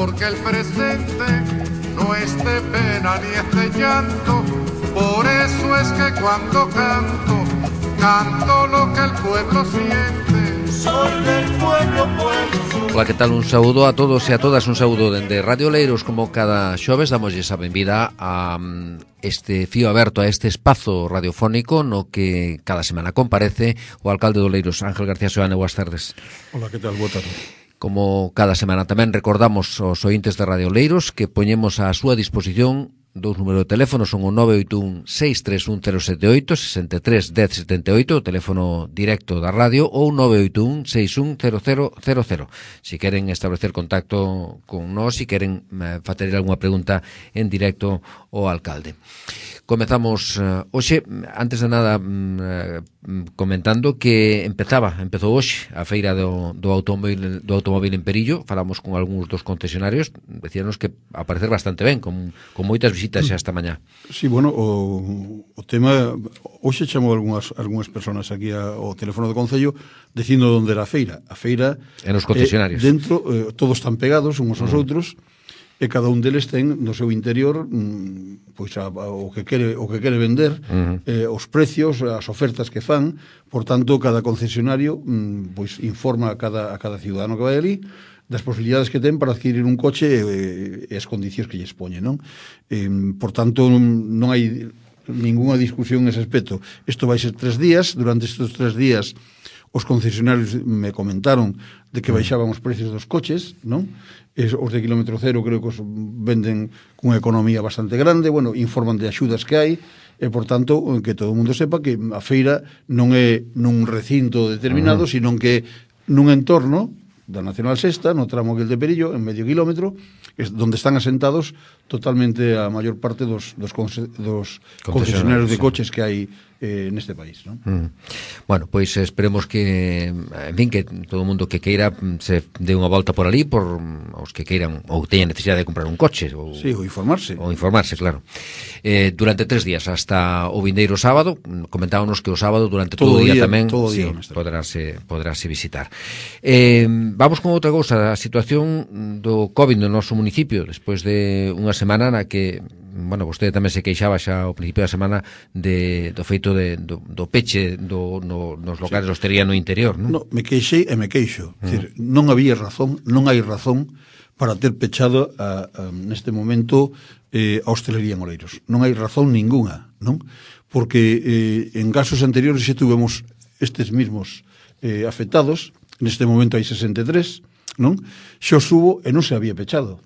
porque el presente no es de pena ni es de llanto. Por eso es que cuando canto, canto lo que el pueblo siente. Soy del pueblo, pueblo. Ola, que tal? Un saúdo a todos e a todas, un saúdo dende Radio Oleiros. Como cada xoves damoslle a benvida a este fío aberto, a este espazo radiofónico no que cada semana comparece o alcalde de Oleiros, Ángel García Seoane. Boas tardes. Ola, que tal? Boa tarde. Como cada semana tamén recordamos aos ointes de Radio Oleiros que poñemos á súa disposición dous números de teléfono, son o 981-631-078, 63-1078, o teléfono directo da radio, ou 981-610000. Si queren establecer contacto con nós, si queren facer algunha pregunta en directo ao alcalde. Comezamos hoxe, antes de nada comentando que empezou hoxe a feira do automóvil en Perillo. Falamos con algúns dos concesionarios, decíanos que a parecer bastante ben, con moitas visitas xa esta mañá. Sí, bueno, o tema hoxe chamou algunhas persoas aquí ao teléfono do Concello dicindo onde era a feira. A feira en os concesionarios. Dentro todos están pegados uns aos outros. E cada un deles ten no seu interior pois o que quere vender, os precios, as ofertas que fan. Por tanto, cada concesionario pois informa a cada ciudadano que vai ali das posibilidades que ten para adquirir un coche e as condicións que lle expoñe, non? Por tanto, non hai ninguna discusión nese aspecto. Isto vai ser 3 días. Durante estes 3 días os concesionarios me comentaron de que baixaban os precios dos coches, non? Os de kilómetro cero creo que os venden cunha economía bastante grande. Bueno, informan de axudas que hai e, por tanto, que todo o mundo sepa que a feira non é nun recinto determinado, sino que nun entorno da Nacional Sexta, no tramo aquel de Perillo, en medio kilómetro, donde están asentados totalmente a maior parte dos concesionarios de coches que hai neste país, non? Bueno, pois esperemos que, en fin, que todo o mundo que queira se dé unha volta por ali, por os que queiran ou teñan necesidade de comprar un coche ou, sí, ou informarse. Ou informarse, claro. Durante 3 días, hasta o vindeiro sábado. Comentábamos que o sábado durante todo o día tamén poderase visitar. Vamos con outra cousa, a situación do COVID no noso municipio, despois de unha semana na que, bueno, vostede tamén se queixaba xa ao principio da semana do feito do peche nos locales de hostelería no interior, non? No, me queixei e me queixo. Decir, non había razón, non hai razón para ter pechado neste momento a hostelería en Oleiros. Non hai razón ninguna, non? Porque en casos anteriores xa tuvemos estes mismos afectados. Neste momento hai 63, non? Xa os hubo e non se había pechado,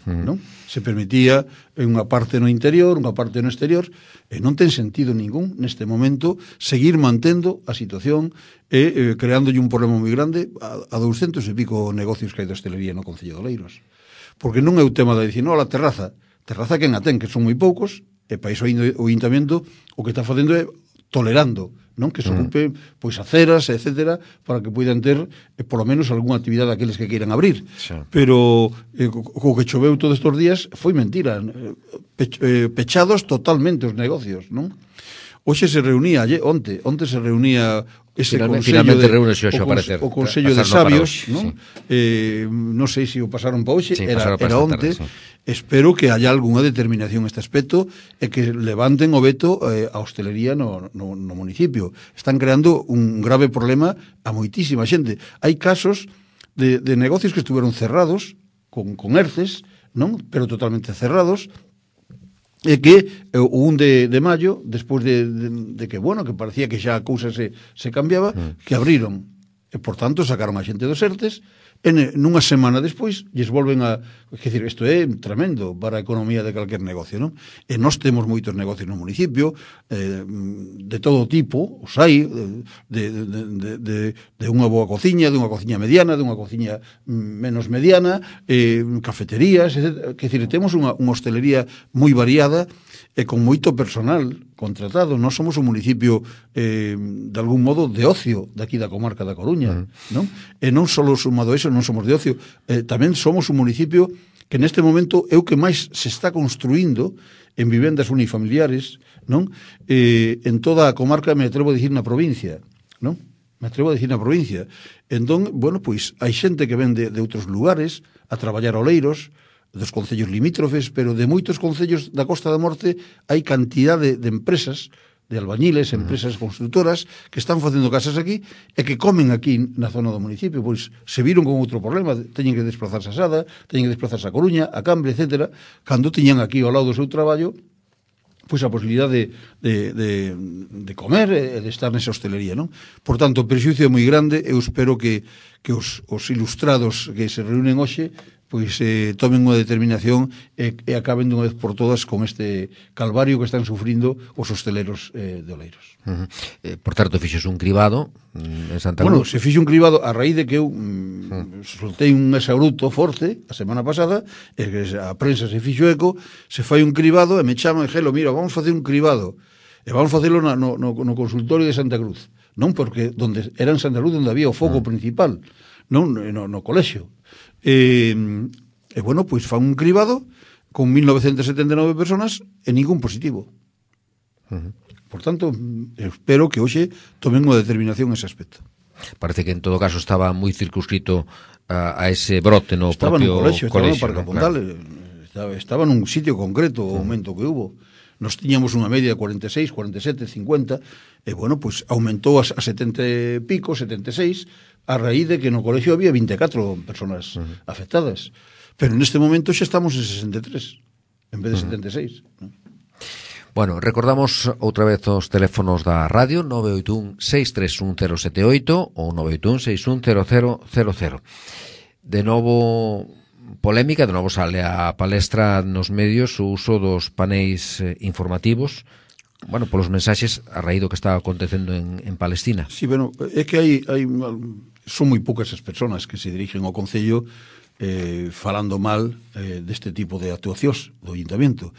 non? Se permitía unha parte no interior, unha parte no exterior, e non ten sentido ningún neste momento seguir mantendo a situación e creándolle un problema moi grande a 200 e pico negocios que hai de hostelería no Concello de Oleiros. Porque non é o tema de dicir, non, a terraza quen a ten, que son moi poucos, e para iso o Ayuntamiento o que está facendo é tolerando, non? Que se ocupe pois aceras, etcétera, para que poidan ter polo menos algunha actividade aqueles que queiran abrir. Sí. Pero co que choveu todos estes días foi mentira. Pechados totalmente os negocios, non? Hoxe se reunía, onte se reunía ese o Consello de Sabios, non? Sí. Non sei se o pasaron para hoxe, sí, era onte. Sí. Espero que haya algunha determinación neste aspecto e que levanten o veto a hostelería no municipio. Están creando un grave problema a moitísima xente. Hai casos de negocios que estuveron cerrados con ERCES, non? Pero totalmente cerrados, e que o 1 de maio, despois de que, bueno, que parecía que xa a cousa se cambiaba, que abriron. E, por tanto, sacaron a xente dos ERTES e nunha semana despois lles volven a... Quer dizer, isto é tremendo para a economía de calquer negocio, non? E nós temos moitos negocios no municipio, de todo tipo, os hai, de unha boa cociña, de unha cociña mediana, de unha cociña menos mediana, cafeterías, etc. Quer dizer, temos unha hostelería moi variada e con moito personal contratado. Nós somos un municipio de algún modo de ocio daqui da comarca da Coruña, non? E non só sumado a eso, non somos de ocio, tamén somos un municipio que neste momento é o que máis se está construindo en vivendas unifamiliares, non? En toda a comarca, me atrevo a dicir, na provincia, non? me atrevo a dicir na provincia. Entón, bueno, pois hai xente que ven de outros lugares a traballar a Oleiros, dos concellos limítrofes, pero de moitos concellos da Costa da Morte hai cantidade de empresas, de albañiles, empresas constructoras que están facendo casas aquí e que comen aquí na zona do municipio, pois se viron con outro problema, teñen que desplazarse a Sada, teñen que desplazarse a Coruña, a Cambre, etc. Cando tiñan aquí ao lado do seu traballo pois a posibilidade de comer e de estar nesa hostelería, non? Por tanto, o prexuicio é moi grande. Eu espero que os ilustrados que se reúnen hoxe pois tomen unha determinación e acaben dunha vez por todas con este calvario que están sufrindo os hosteleros de Oleiros. Por tanto, fixos un cribado en Santa Cruz. Bueno, se fixe un cribado a raíz de que eu soltei un exabrupto forte a semana pasada, e que a prensa se fixo eco, se fai un cribado e me chaman e gelo, mira, vamos facer un cribado e vamos facelo no consultorio de Santa Cruz, non porque era en Santa Cruz onde había o foco principal, non no colexio. E bueno, pois fan un cribado con 1979 personas e ningún positivo. Por tanto, espero que hoxe tomen unha determinación nese aspecto. Parece que en todo caso estaba moi circunscrito a ese brote no estaba propio colexio. Estaba no Parque Parque Pondal, estaba nun sitio concreto o aumento que hubo. Nos tiñamos unha media de 46, 47, 50, e bueno, pois aumentou a 70 e pico, 76, a raíz de que no colexio había 24 personas afectadas. Pero neste momento xa estamos en 63, en vez de 76. ¿No? Bueno, recordamos outra vez os teléfonos da radio, 981-631-078 ou 981-610000. De novo polémica, de novo sale a palestra nos medios o uso dos paneis informativos, bueno, polos mensaxes a raíz do que está acontecendo en Palestina. Sí, bueno, é que son moi poucas as persoas que se dirigen ao Concello falando mal deste tipo de actuacións do Ayuntamiento.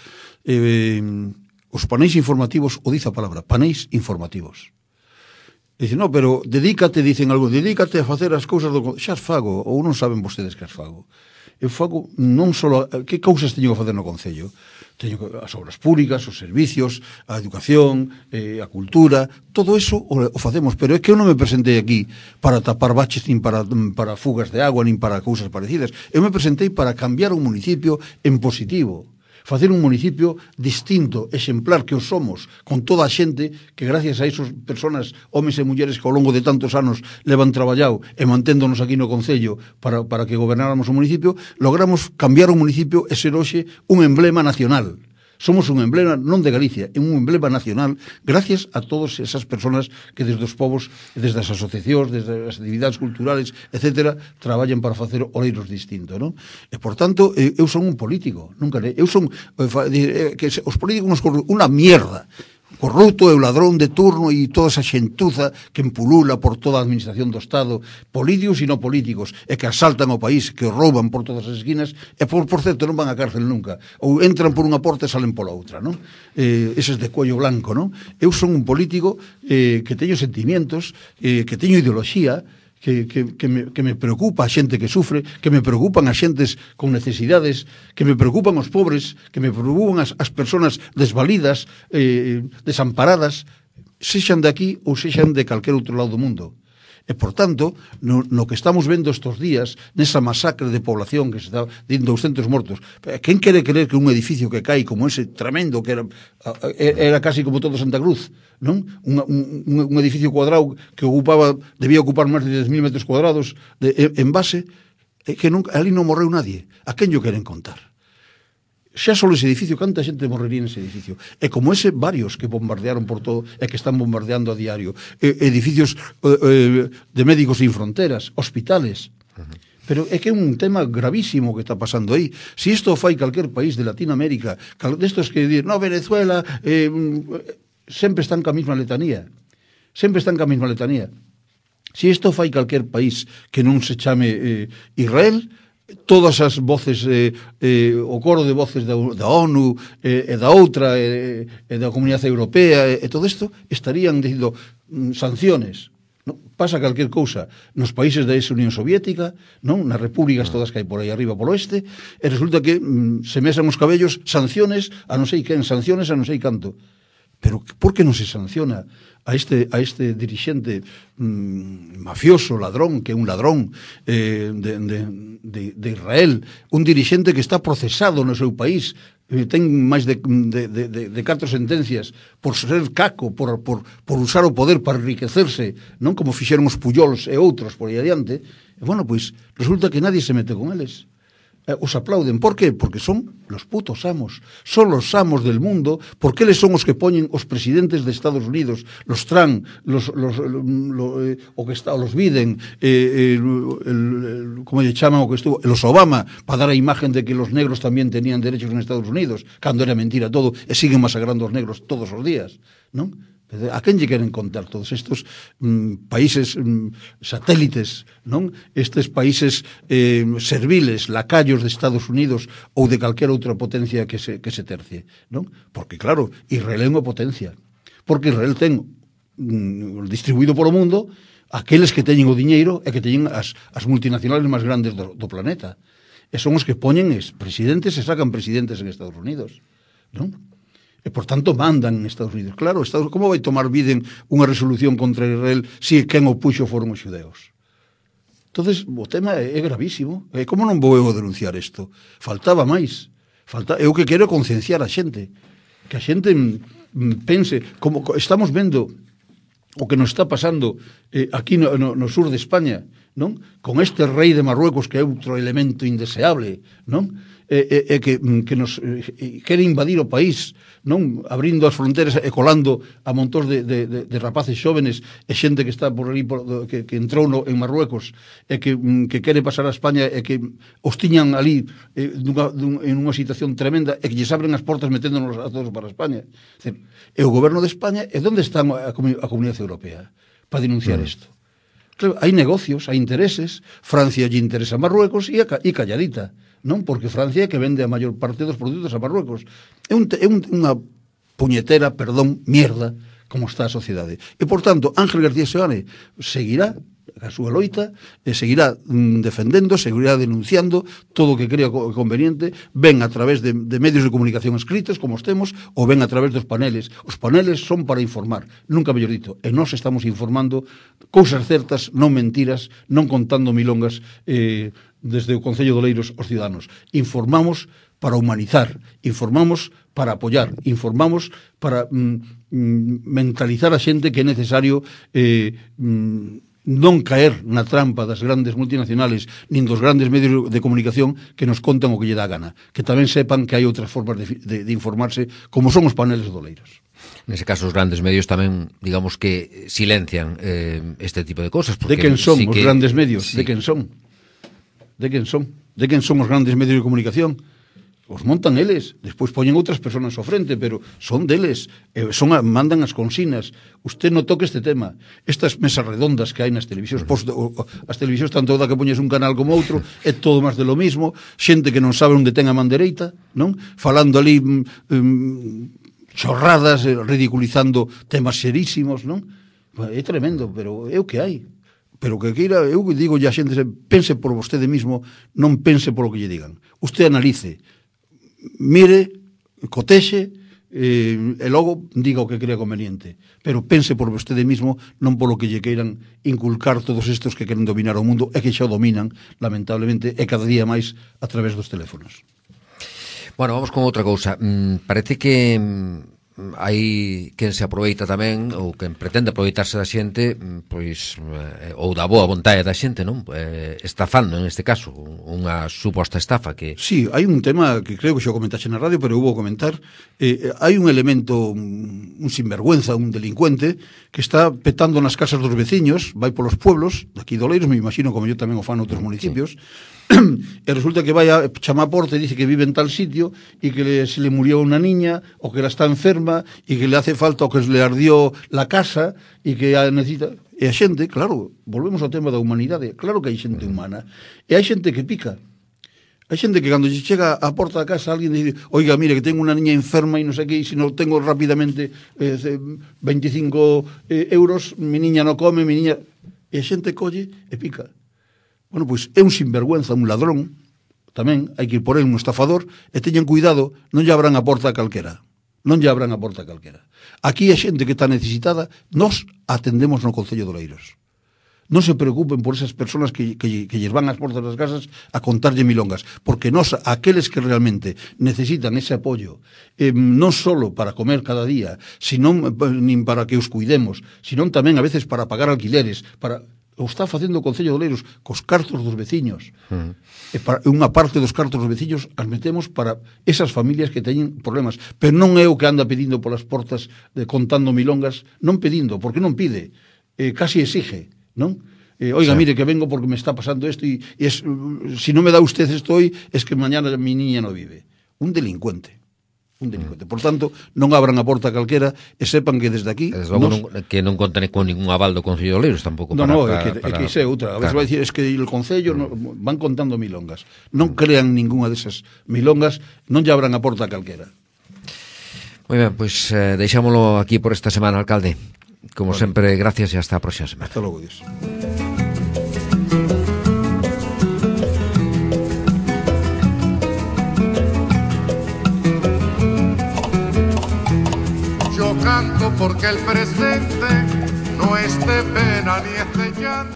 Os paneis informativos, o dice a palabra, paneis informativos. Dicen, no, pero dedícate, dicen algo, dedícate a facer as cousas do Concello. Xa as fago, ou non saben vostedes que as fago. Eu fago non só que cousas teño que facer no Concello. Teño as obras públicas, os servicios, a educación, a cultura, todo eso o facemos, pero é que eu non me presentei aquí para tapar baches, nin para fugas de agua, nin para cousas parecidas. Eu me presentei para cambiar un municipio en positivo, facer un municipio distinto, exemplar que o somos, con toda a xente que gracias a esas personas, homes e mulleres que ao longo de tantos anos levan traballado e manténdonos aquí no Concello para que gobernáramos o municipio, logramos cambiar o municipio e ser hoxe un emblema nacional. Somos un emblema non de Galicia, é un emblema nacional gracias a todas esas personas que desde os povos, desde as asociacións, desde as actividades culturales, etcétera, traballan para facer Oleiros distinto, non? E, por tanto, eu son un político, nunca eu son que os políticos nos unha mierda. Corrupto e o ladrón de turno e toda esa xentuza que empulula por toda a administración do Estado, políticos e non políticos, e que asaltan o país, que o rouban por todas as esquinas, e por certo non van a cárcel nunca, ou entran por unha porta e salen pola outra, non? Eses de cuello blanco, non? Eu son un político que teño sentimientos, que teño ideoloxía, que me preocupa a xente que sufre, que me preocupan as xentes con necesidades, que me preocupan os pobres, que me preocupan as persoas desvalidas, desamparadas, sexan de aquí ou sexan de calquer outro lado do mundo. E, por tanto, no que estamos vendo estes días, nesa masacre de población que se está dando 200 mortos, quen quere creer que un edificio que cae como ese tremendo, que era casi como todo Santa Cruz, non? Un edificio cuadrado que debía ocupar máis de 10.000 metros cuadrados en base, que ali non morreu nadie. A quen yo queren contar? Xa só ese edificio, canta xente morrería nese edificio. E como ese, varios que bombardearon por todo e que están bombardeando a diario. Edificios de Médicos Sin Fronteras, hospitales. Pero é que é un tema gravísimo que está pasando aí. Se isto fai calquer país de Latinoamérica, destos que dir, no, Venezuela, sempre están ca mesma letanía. Sempre están ca mesma letanía. Se isto fai calquer país que non se chame Israel, todas as voces, o coro de voces da ONU e da outra e da Comunidade Europea e todo isto estarían dicindo sanciones. Non? Pasa calquer cousa nos países da ex-Unión Soviética, non? Nas repúblicas todas que hai por aí arriba polo oeste, e resulta que se mesan os cabellos sanciones a non sei quen, sanciones a non sei canto. Pero por que non se sanciona a este dirixente mafioso, ladrón, que é un ladrón de Israel, un dirixente que está procesado no seu país, ten máis de 4 sentencias por ser caco, por usar o poder para enriquecerse, non como fixeron os Puyols e outros por aí adiante. E bueno, pois resulta que nadie se mete con eles. Os aplauden. Por qué? Porque son los putos amos. Son los amos del mundo, porque eles son os que poñen os presidentes de Estados Unidos, los Trump, los Biden, como lle chaman o que estuvo, los Obama, para dar a imagen de que los negros tamén tenían derechos en Estados Unidos, cando era mentira todo, e siguen masacrando os negros todos os días, non? A quen lle queren contar todos estes países satélites, non? Estes países serviles, lacayos de Estados Unidos ou de calquera outra potencia que se tercie, non? Porque, claro, Israel é unha potencia. Porque Israel ten distribuído polo mundo aqueles que teñen o diñeiro e que teñen as multinacionales máis grandes do planeta. E son os que poñen presidentes e sacan presidentes en Estados Unidos, non? E, por tanto, mandan en Estados Unidos. Claro, como vai tomar Biden unha resolución contra Israel se quen o puxo foron os xudeos? Entonces, o tema é gravísimo. Como non vou eu denunciar isto? Faltaba máis. Eu que quero concienciar a xente. Que a xente pense, como estamos vendo o que nos está pasando aquí no sur de España, non? Con este rei de Marruecos que é outro elemento indeseable, non? Que nos quere invadir o país, non, abrindo as fronteras e colando a montóns de rapaces xóvenes e xente que está por ali que entrou en Marruecos e que quere pasar a España e que os tiñan ali en unha situación tremenda e que lles abren as portas meténdonos a todos para España. E o goberno de España, e onde está a Comunidade Europea para denunciar isto? Claro, hai negocios, hai intereses. Francia lle interesa a Marruecos e calladita, non? Porque Francia é que vende a maior parte dos produtos a Marruecos. É unha puñetera, mierda, como está a sociedade. E, por tanto, Ángel García Seoane seguirá a súa loita, seguirá defendendo, seguirá denunciando todo o que crea conveniente, ven a través de medios de comunicación escritos, como os temos, ou ven a través dos paneles. Os paneles son para informar, nunca mellor dito, e nós estamos informando cousas certas, non mentiras, non contando milongas desde o Concello de Oleiros aos ciudadanos. Informamos para humanizar, informamos para apoiar, informamos para mentalizar a xente que é necesario non caer na trampa das grandes multinacionales nin dos grandes medios de comunicación que nos contan o que lle dá gana, que tamén sepan que hai outras formas de informarse, como son os paneles de Oleiros. Nese caso, os grandes medios tamén, digamos que silencian este tipo de cosas. De quen son os grandes medios? Sí. De quen son? De quen son? De quen son os grandes medios de comunicación? Os montan eles, despois poñen outras persoas ao frente, pero son deles, mandan as consignas. Usted non toque este tema. Estas mesas redondas que hai nas televisións, as televisións tanto da que poñes un canal como outro, é todo máis de lo mismo, xente que non sabe onde ten a man dereita, non? Falando ali chorradas, ridiculizando temas serísimos, non? É tremendo, pero é o que hai. Pero que queira, eu digo a xente, pense por vostede mismo, non pense por o que lle digan. Usted analice, mire, cotexe e logo diga o que crea conveniente, pero pense por vostede mismo, non polo que lle queiran inculcar todos estes que queren dominar o mundo e que xa o dominan, lamentablemente, e cada día máis a través dos teléfonos. Bueno, vamos con outra cousa. Parece que hai quen se aproveita tamén, ou quen pretende aproveitarse da xente, pois, ou da boa vontade da xente, non? Estafando, en este caso, unha suposta estafa que... Sí, hai un tema que creo que xa comentaxe na radio, pero eu vou comentar. Hai un elemento, un sinvergüenza, un delincuente, que está petando nas casas dos veciños, vai polos pueblos, daqui de Oleiros, me imagino, como yo tamén o fan noutros municipios, e resulta que vai a chamar a porta e dice que vive en tal sitio e que se le murió unha niña o que ela está enferma e que le hace falta o que le ardió la casa e que necesita... E a xente, claro, volvemos ao tema da humanidade, claro que hai xente humana e hai xente que pica. Hai xente que cando chega á porta da casa alguén dice, oiga, mire, que tengo unha niña enferma e non sei que, e se non tengo rapidamente 25 euros, mi niña non come, mi niña... E a xente colle e pica. Bueno, pois é un sinvergüenza, un ladrón, tamén hai que ir por el, un estafador, e teñan cuidado, non lle abran a porta a calquera. non lle abran a porta calquera. Aquí a xente que está necesitada, nós atendemos no Concello de Oleiros. Non se preocupen por esas personas que lles van ás portas das casas a contarlle milongas, porque nós, aqueles que realmente necesitan ese apoio, non solo para comer cada día, senón nin para que os cuidemos, senón tamén a veces para pagar alquileres, para o está facendo o Concello de Oleiros cos cartos dos veciños. E para unha parte dos cartos dos veciños as metemos para esas familias que teñen problemas, pero non é o que anda pedindo polas portas contando milongas, non pedindo, porque non pide, casi exige, non? Oiga, mire que vengo porque me está pasando esto y si no me da usted esto hoy es que mañana mi niña no vive. Un delincuente. Por tanto, non abran a porta calquera e sepan que desde aquí que non conten con ningún aval do Concello de Oleiros tampouco. É que é outra. A veces vai dicir, es que el Concello van contando milongas. Non crean ninguna desas milongas, non lle abran a porta calquera. Moi ben, pois deixámolo aquí por esta semana, alcalde. Como sempre, gracias e hasta a próxima semana. Hasta logo, Dios. Yo canto porque el presente no es de pena ni es de llanto.